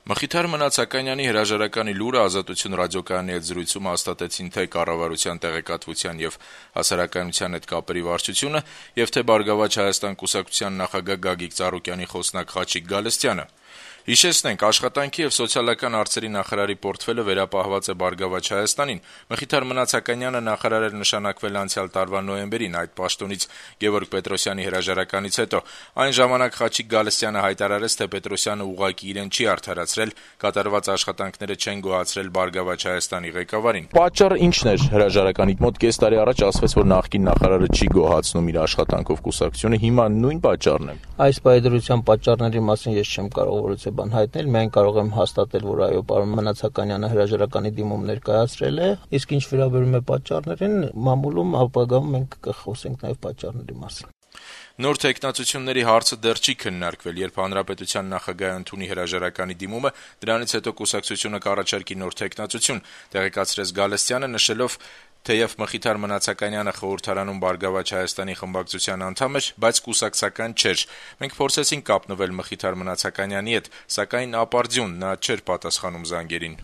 Մխիթար Մնացականյանի հրաժարականի լուրը Ազատություն ռադիոկայանի հետ զրույցում հաստատեցին թե կառավարության տեղեկատվության եւ հասարակայնության հետ կապերի վարչությունը եւ թե Բարգավաճ Հայաստան կուսակցության նախագահ Գագիկ Ծառուկյանի խոսնակ Խաչիկ Գալստյանը։ Հիշեցնենք, աշխատանքի եւ սոցիալական հարցերի նախարարի պորտֆելը վերապահված է Բարգավաճ Հայաստանին։ Մխիթար Մնացականյանը նախարար էր նշանակվել անցյալ տարվա նոյեմբերին այդ պաշտոնից Գևորգ Պետրոսյանի հրաժարականից հետո։ Այն ժամանակ Խաչիկ Գալստյանը հայտարարեց, թե Պետրոսյանը ուղղակի իրեն չի արդարացրել, կատարված աշխատանքները չեն գոհացրել Բարգավաճ Հայաստանի ղեկավարին։ Պատճառը ինչն էր հրաժարականի մոտ կես տարի առաջ ասվեց, որ նախկին նախարարը չի գոհացնում իր աշխատանքով կուսակցությունը, հիմա նույն պատճառն է։ Այս պայդրության պատճառների մասին ես չեմ կարող որևէ բան հայտնել, միայն կարող եմ հաստատել, որ այո, պարոն Մնացականյանը հրաժարականի դիմում ներկայացրել է, իսկ ինչ վերաբերում է պատճառներին, մամուլում ապագայում մենք կխոսենք նաև պատճառների մասին։ Նոր թեկնածությունների հարցը դեռ չի քննարկվել, երբ հանրապետության նախագահը ընդունի հրաժարականի դիմումը, դրանից հետո կուսակցությունը կառաջարկի նոր թեկնածություն, տեղեկացրեց Գալստյանը, նշելով, թեև Մխիթար Մնացականյանը խորհրդարանում Բարգավաճ Հայաստանի խմբակցության անդամ էր, բայց կուսակցական չէր։ Մենք փորձեցինք կապնվել Մխիթար Մնացականյանի հետ, սակայն ապարդյուն նա չէր պատասխանում զանգերին։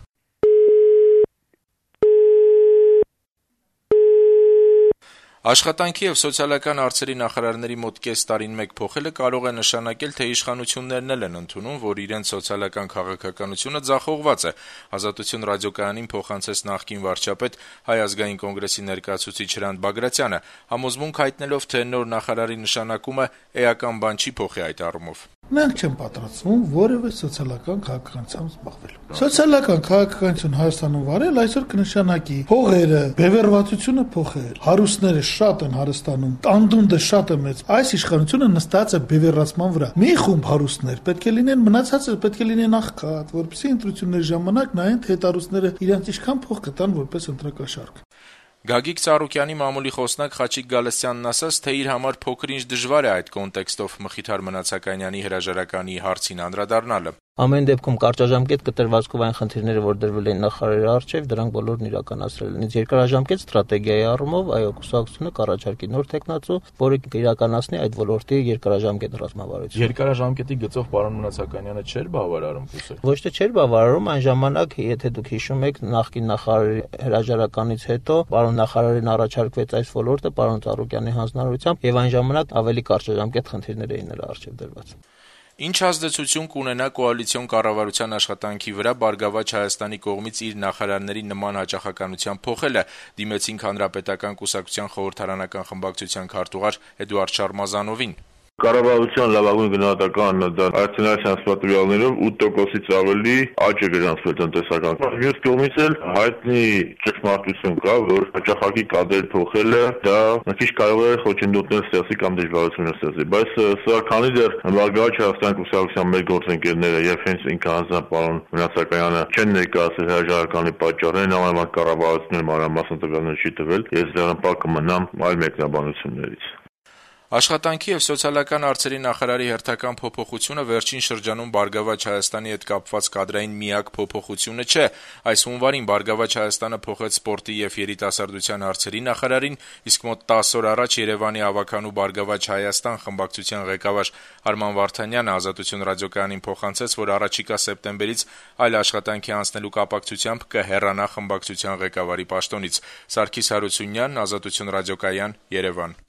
Աշխատանքի եւ սոցիալական հարցերի նախարարների մոտ կես տարին մեկ փոխելը կարող է նշանակել, թե իշխանություններն էլ են ընդունում, որ իրենց սոցիալական քաղաքականությունը ձախողված է։ Ազատություն ռադիոկայանին փոխանցեց նախկին վարչապետ Հայ ազգային կոնգրեսի ներկայացուցիչ Հրանտ Բագրատյանը, համոզմունք հայտնելով, թե նոր նախարարի նշանակումը էական բան չի փոխի այդ առումով։ Մենք չեմ պատրաստվում որևէ սոցիալական քաղաքականությամբ զբաղվելու։ Սոցիալական քաղաքականություն Հայաստանում վարել այսօր կնշանակի փողերը, բևեռվածությունը փոխել, հարուստները շատ են հարստանում, անդունդը շատ է մեծ։ Այս իշխանությունը նստած է բևեռացման վրա։ Մի խումբ հարուստներ պետք է լինեն, մնացածը պետք է լինեն աղքատ, որպեսզի ընտրությունների ժամանակ նայեն, թե հետարուստները իրենց ինչքան փող կտան որպես ընտրակաշարք։ Գագիկ Ծառուկյանի մամուլի խոսնակ Խաչիկ Գալստյանն ասաց, թե իր համար փոքր-ինչ դժվար է այդ կոնտեքստով Մխիթար Մնացականյանի հրաժարականի հարցին անդրադառնալը։ Ամեն դեպքում կարճաժամկետ կտրվածքով այն խնդիրները, որ դրվել են նախարարի առջև, դրանք բոլորն իրականացրել են։ Երկարաժամկետ ստրատեգիայի առումով այո, կուսակցությունը կառաջարկի նոր տեխնացու, որը կիրականացնի այդ ոլորտի երկարաժամկետ ռազմավարությունը։ Երկարաժամկետի գծով պարոն Մնացականյանը չէր բավարարում կուսակցությունը։ Ոչ թե չէր բավարարում, այն ժամանակ, եթե դուք հիշում եք, նախկին նախարարի հրաժարականից հետո պարոն նախարարին առաջարկվեց այս ոլորտը պարոն Ծառուկյանի հանձնարարությամբ, եւ այն ժամանակ ավելի կարճաժամկետ խնդիրներ էին նրա առջև դրված։ Ինչ ազդեցություն կունենա կոալիցիոն կառավարության աշխատանքի վրա Բարգավաճ Հայաստանի կողմից իր նախարարների նման հաճախականության փոխելը, դիմեցինք Հանրապետական կուսակցության խորհրդարանական խմբակցության քարտուղար Էդուարդ Շարմազանովին։ Կառավարության լավագույն գնահատականն դա արտոնային սպատուրյալներով 8%-ից ավելի աճ է գրանցվել տնտեսական։ Մյուս կողմից էլ հայտնի ճշմարտություն կա, որ հաճախակի կադրեր փոխելը դա մի քիչ կարող է խոչընդոտներ ստեղծի կամ դժվարություններ ստեղծի, բայց սա քանի դեռ Բարգավաճ Հայաստանի կուսակցության մեր գործընկերները եւ հենց ինքը հանձնարար պարոն Մնացականյանը չեն ներկայացրել հրաժարականի պատճառներն, համեմատ կառավարությունը մանրամասն տվյալներ չի տվել, ես դեռ կմնամ այլ մեկնաբանություններից։ Աշխատանքի եւ սոցիալական հարցերի նախարարի հերթական փոփոխությունը վերջին շրջանում Բարգավաճ Հայաստանի հետ կապված կադրային միակ փոփոխությունը չէ։ Այս հունվարին Բարգավաճ Հայաստանը փոխեց սպորտի եւ երիտասարդության հարցերի նախարարին, իսկ մոտ 10 օր առաջ Երևանի ավականու Բարգավաճ Հայաստան խմբակցության ղեկավար Արման Վարդանյանը Ազատություն ռադիոկայանին փոխանցեց, որ առաջիկա սեպտեմբերից այլ աշխատանքի անցնելու կապակցությամբ կհեռանա խմբակցության ղեկավարի պաշտոնից։ Սարգիս Հարությունյան, Ազատություն ռադիոկայան, Երևան։